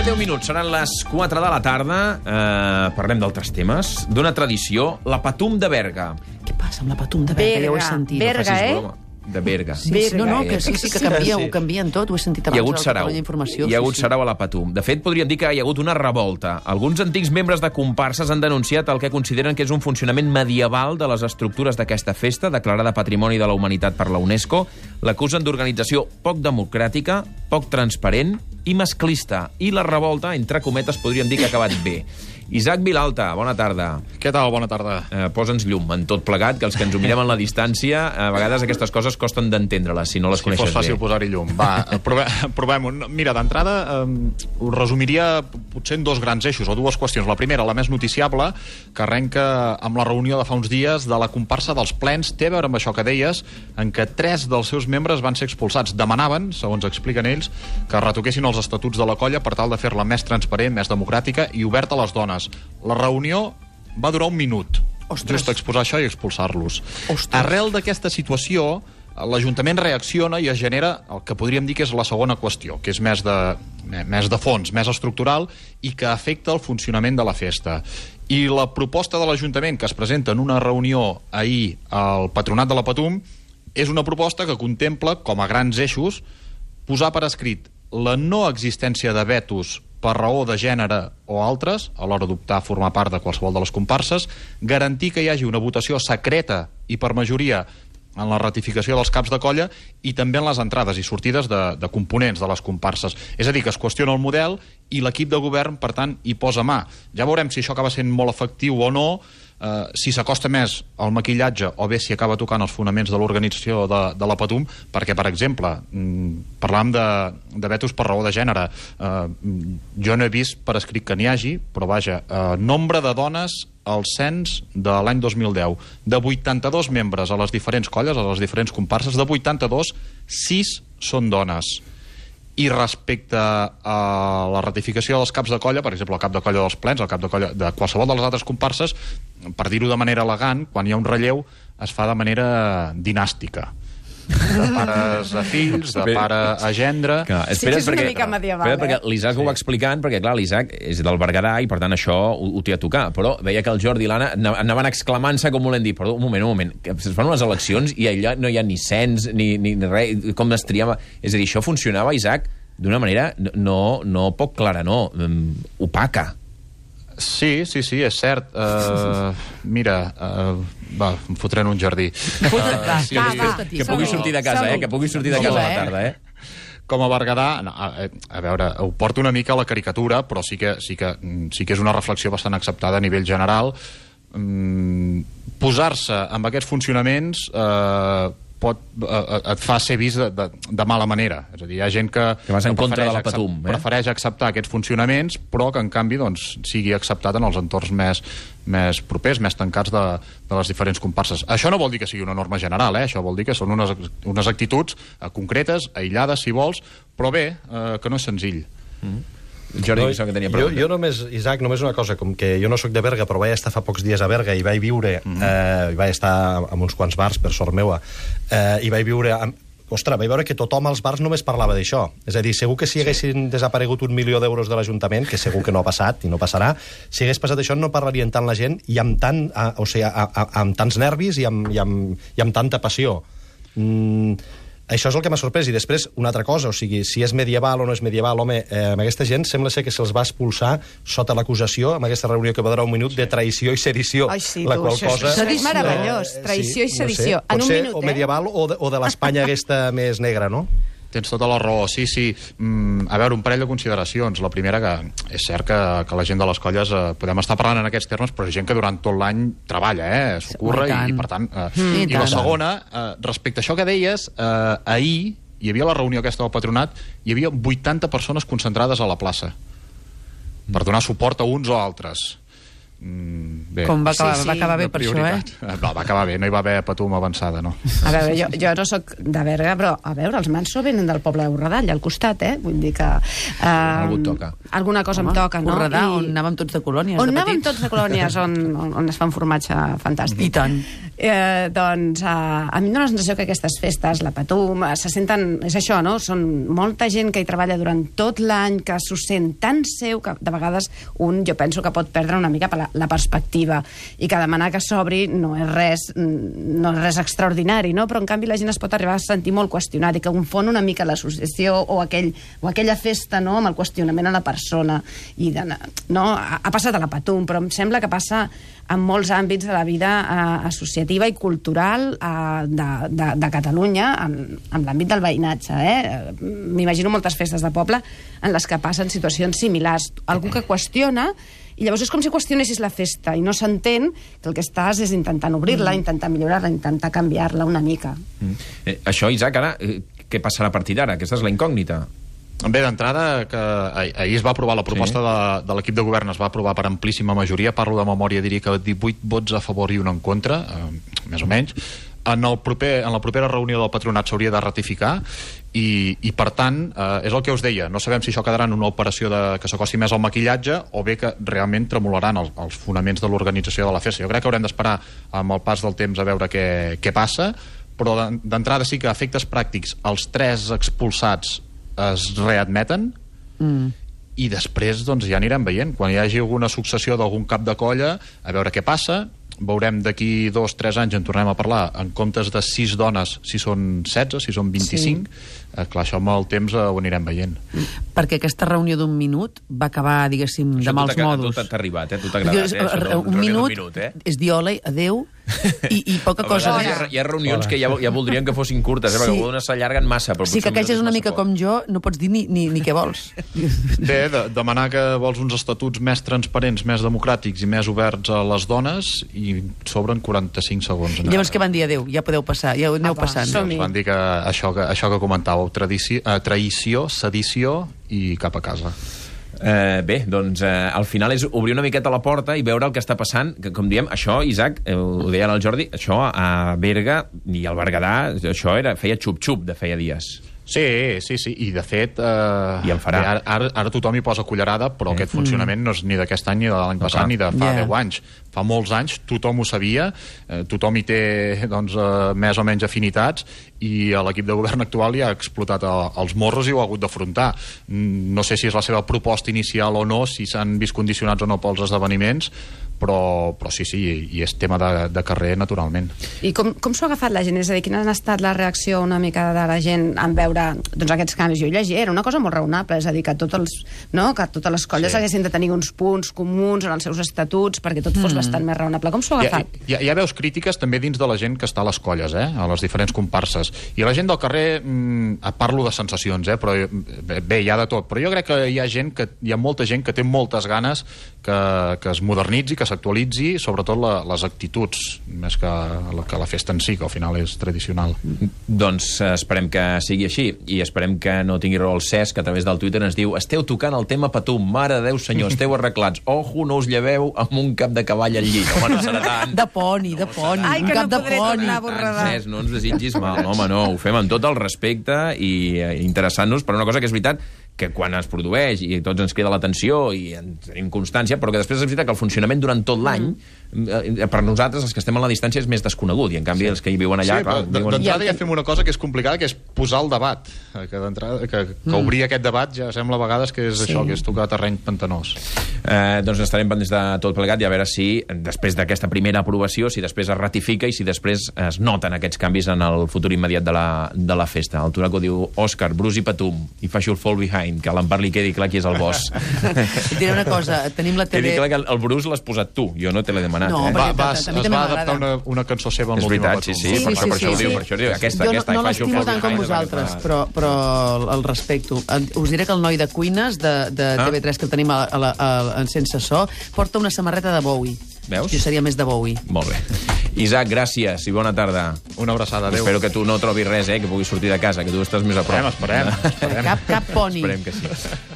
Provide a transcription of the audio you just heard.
10 minuts, seran les 4 de la tarda. Parlem d'altres temes. D'una tradició, la Patum de Berga. Què passa amb la Patum de Berga? Ja ho he sentit. Berga, De Berga. Sí, que sí que canvia, ho canvien tot, ho he sentit abans. Hi ha hagut sarau. Hi ha hagut sarau a la Patum. De fet, podríem dir que hi ha hagut una revolta. Alguns antics membres de comparses han denunciat el que consideren que és un funcionament medieval de les estructures d'aquesta festa, declarada Patrimoni de la Humanitat per la UNESCO. L'acusen d'organització poc democràtica, poc transparent i masclista. I la revolta, entre cometes, podríem dir que ha acabat bé. Isaac Vilalta, bona tarda. Què tal? Bona tarda. Posa'ns llum en tot plegat, que els que ens ho mirem en la distància, a vegades aquestes coses costen d'entendre-les, si no les coneixes bé. Si fos fàcil posar-hi llum. Va, provem-ho. Mira, d'entrada, ho resumiria potser en dos grans eixos, o dues qüestions. La primera, la més noticiable, que arrenca amb la reunió de fa uns dies de la comparsa dels plens, té a veure amb això que deies, en què 3 dels seus membres van ser expulsats. Demanaven, segons expliquen ells, que retoquessin els estatuts de la colla per tal de fer-la més transparent, més democràtica i oberta a les dones. La reunió va durar 1 minut. Ostres. Just exposar això i expulsar-los. Ostres. Arrel d'aquesta situació, l'Ajuntament reacciona i es genera el que podríem dir que és la segona qüestió, que és més de fons, més estructural i que afecta el funcionament de la festa. I la proposta de l'Ajuntament que es presenta en una reunió ahir al Patronat de la Patum és una proposta que contempla, com a grans eixos, posar per escrit la no existència de vetos per raó de gènere o altres, a l'hora d'optar a formar part de qualsevol de les comparses, garantir que hi hagi una votació secreta i per majoria en la ratificació dels caps de colla i també en les entrades i sortides de components de les comparses. És a dir, que es qüestiona el model i l'equip de govern, per tant, hi posa mà. Ja veurem si això acaba sent molt efectiu o no, si s'acosta més al maquillatge o bé si acaba tocant els fonaments de l'organització de la Patum, perquè, per exemple, parlàvem de vetos per raó de gènere. Jo no he vist per escrit que n'hi hagi, però vaja, nombre de dones al cens de l'any 2010. De 82 membres a les diferents colles, a les diferents comparses, de 82, 6 són dones. I respecte a la ratificació dels caps de colla, per exemple, el cap de colla dels plens, el cap de colla de qualsevol de les altres comparses, per dir-ho de manera elegant, quan hi ha un relleu, es fa de manera dinàstica. De pares a fills, de pare a gendre... Espera't, és una mica medieval, perquè l'Isaac ho va explicant, perquè, clar, l'Isaac és del Berguedà i, per tant, això ho té a tocar. Però veia que el Jordi i l'Anna anaven exclamant-se, com volent dir, perdó, un moment, que es fan unes eleccions i allà no hi ha ni cens, ni res, com es triava... És a dir, això funcionava, Isaac, d'una manera no poc clara, no, opaca. Sí, és cert. Mira, va, em fotré en un jardí. Que pugui sortir de casa, que pugui sortir de casa a la tarda, Com a Berguedà, a veure, ho porto una mica a la caricatura, però sí que és una reflexió bastant acceptada a nivell general. Posar-se amb aquests funcionaments et fa ser vist de mala manera. És a dir, hi ha gent que vas en contra de la Patum, prefereix acceptar aquests funcionaments, però que en canvi sigui acceptat en els entorns més propers, més tancats de les diferents comparses. Això no vol dir que sigui una norma general, això vol dir que són unes actituds concretes, aïllades, si vols, però bé, que no és senzill. Jordi, que tenia pregunta. Jo només, Isaac, només una cosa, com que jo no sóc de Berga, però vaig estar fa pocs dies a Berga i vaig viure, vaig estar en uns quants bars, per sort meua, i vaig viure... Ostres, vaig veure que tothom als bars només parlava d'això. És a dir, segur que si haguessin desaparegut 1 milió d'euros de l'Ajuntament, que segur que no ha passat i no passarà, si hagués passat això no parlarien tant la gent i amb tants nervis i amb tanta passió. Això és el que m'ha sorprès. I després, una altra cosa, o sigui, si és medieval o no és medieval, home, amb aquesta gent sembla ser que se'ls va expulsar sota l'acusació, amb aquesta reunió que va durar 1 minut, de traïció i sedició. Ai, sí, la qual cosa... Això és meravellós, traïció i sedició. En un minut, o medieval o de l'Espanya aquesta més negra, no? Tens tota la raó, sí. A veure, un parell de consideracions. La primera, que és cert que la gent de les colles podem estar parlant en aquests termes, però és gent que durant tot l'any treballa, s'ho curra, i per tant... I la segona, respecte a això que deies, ahir hi havia la reunió aquesta del Patronat, hi havia 80 persones concentrades a la plaça per donar suport a uns o altres. Bé. Com va acabar bé per això, No, va acabar bé, no hi va haver Patum avançada, no. A veure, jo no sóc de Berga, però, a veure, els Manso venen del poble de Borredà, al costat, Vull dir que... Algú toca. Alguna cosa em toca, no? Borredà, on anàvem tots de colònies, on anàvem tots de colònies, on es fa un formatge fantàstic. I tant. Doncs a mi em dóna la sensació que aquestes festes, la Patum, se senten... És això, no? Són molta gent que hi treballa durant tot l'any, que s'ho sent tan seu, que de vegades jo penso que pot perdre una mica la perspectiva, i que demanar que s'obri no és res extraordinari, no? Però en canvi la gent es pot arribar a sentir molt qüestionat i que confon una mica l'associació o aquella festa, no?, amb el qüestionament a la persona. No? Ha passat a la Patum, però em sembla que passa en molts àmbits de la vida associativa i cultural de Catalunya, en l'àmbit del veïnatge. M'imagino moltes festes de poble en les que passen situacions similars. Algú que qüestiona, i llavors és com si qüestionessis la festa i no s'entén que el que estàs és intentant obrir-la, intentar millorar-la, intentar canviar-la una mica. Això, Isaac, ara, què passarà a partir d'ara? Aquesta és la incògnita. Bé, d'entrada, que ahir es va aprovar la proposta de l'equip de govern, es va aprovar per amplíssima majoria, parlo de memòria, diria que 18 vots a favor i un en contra, més o menys. En la propera reunió del patronat s'hauria de ratificar i per tant, és el que us deia, no sabem si això quedarà en una operació que s'acosti més al maquillatge o bé que realment tremolaran els fonaments de l'organització de la festa. Jo crec que haurem d'esperar amb el pas del temps a veure què passa, però d'entrada sí que a efectes pràctics els 3 expulsats es readmeten i després doncs, ja anirem veient. Quan hi hagi alguna successió d'algun cap de colla, a veure què passa. Veurem d'aquí 2 o 3 anys en tornem a parlar, en comptes de 6 dones, si són 16, si són 25. Sí. Clar, això amb el temps ho anirem veient. Perquè aquesta reunió d'un minut va acabar, diguéssim, de mals modos. Tu t'ha arribat, tu t'ha agradat. Un minut és dir hola, adeu, i poca cosa. Hi ha reunions que ja voldrien que fossin curtes, perquè algunes s'allarguen massa. Sí, que aquells és una mica com jo, no pots dir ni què vols. Bé, demanar que vols uns estatuts més transparents, més democràtics i més oberts a les dones, i sobren 45 segons. Llavors què van dir? Adeu, ja podeu passar, ja aneu passant. Van dir que això que comentàveu, traïció, sedició i cap a casa. Bé, doncs al final és obrir una miqueta la porta i veure el que està passant, que, com diem, això, Isaac, ho deia el Jordi, això a Berga i al Berguedà, això feia xup-xup de feia dies. Sí, i de fet I en farà. Ara tothom hi posa cullerada, però aquest funcionament no és ni d'aquest any ni de l'any passat ni de fa 10 anys. Fa molts anys tothom ho sabia, tothom hi té doncs, més o menys afinitats, i l'equip de govern actual ja ha explotat els morros i ho ha hagut d'afrontar. No sé si és la seva proposta inicial o no, si s'han vist condicionats o no pels esdeveniments, però sí, i és tema de carrer, naturalment. I com s'ho ha agafat la gent? És a dir, quina ha estat la reacció una mica de la gent en veure aquests canvis? Jo llegia, era una cosa molt raonable, és a dir, que totes les colles haguessin de tenir uns punts comuns en els seus estatuts perquè tot fos bastant més raonable. Com s'ho ha agafat? Hi ha veus crítiques també dins de la gent que està a les colles, a les diferents comparses. I la gent del carrer, parlo de sensacions, però bé, hi ha de tot. Però jo crec que hi ha molta gent que té moltes ganes que es modernitzi, que s'actualitzi, sobretot les actituds, més que la festa en si, que al final és tradicional. Doncs esperem que sigui així, i esperem que no tingui raó el Cesc, que a través del Twitter ens diu: esteu tocant el tema Patum, mare de Déu senyor, esteu arreglats, ojo, no us lleveu amb un cap de cavall al llit. Home, no serà tant. De poni. Ai, que no podré tornar a borradar. Cesc, no ens desitgis mal, home, no, ho fem amb tot el respecte i interessant-nos per una cosa que és veritat, que quan es produeix i tots ens crida l'atenció i en tenim constància, però que després és veritat que el funcionament durant tot l'any, per nosaltres, els que estem a la distància, és més desconegut, i en canvi els que hi viuen allà... D'entrada ja fem una cosa que és complicada, que és posar el debat, que obrir aquest debat ja sembla a vegades que és això, que és tocar terreny pantanós. Doncs estarem pendents de tot plegat i a veure si, després d'aquesta primera aprovació, si després es ratifica i si després es noten aquests canvis en el futur immediat de la festa. El Toraco diu: Òscar, Bruce i Patum, i fa Should Fall Behind, que a l'Empar li quedi clar qui és el boss. Et diré una cosa, tenim la tele... Quedi clar que el Bruce l'has posat tu, jo no te l'he demanat. No, es va adaptar una cançó seva en l'última Patum. És veritat, sí, per això ho diu, aquesta. Jo no l'estimo tant com vosaltres, però el respecto. Us diré que el noi de cuines de TV3 que el tenim en Sense So porta una samarreta de Bowie. Veus? Jo seria més de Bowie. Molt bé. Isaac, gràcies i bona tarda. Una abraçada, adéu. Espero que tu no trobis res, que puguis sortir de casa, que tu estàs més a prop. Esperem. Cap poni. Esperem que sí.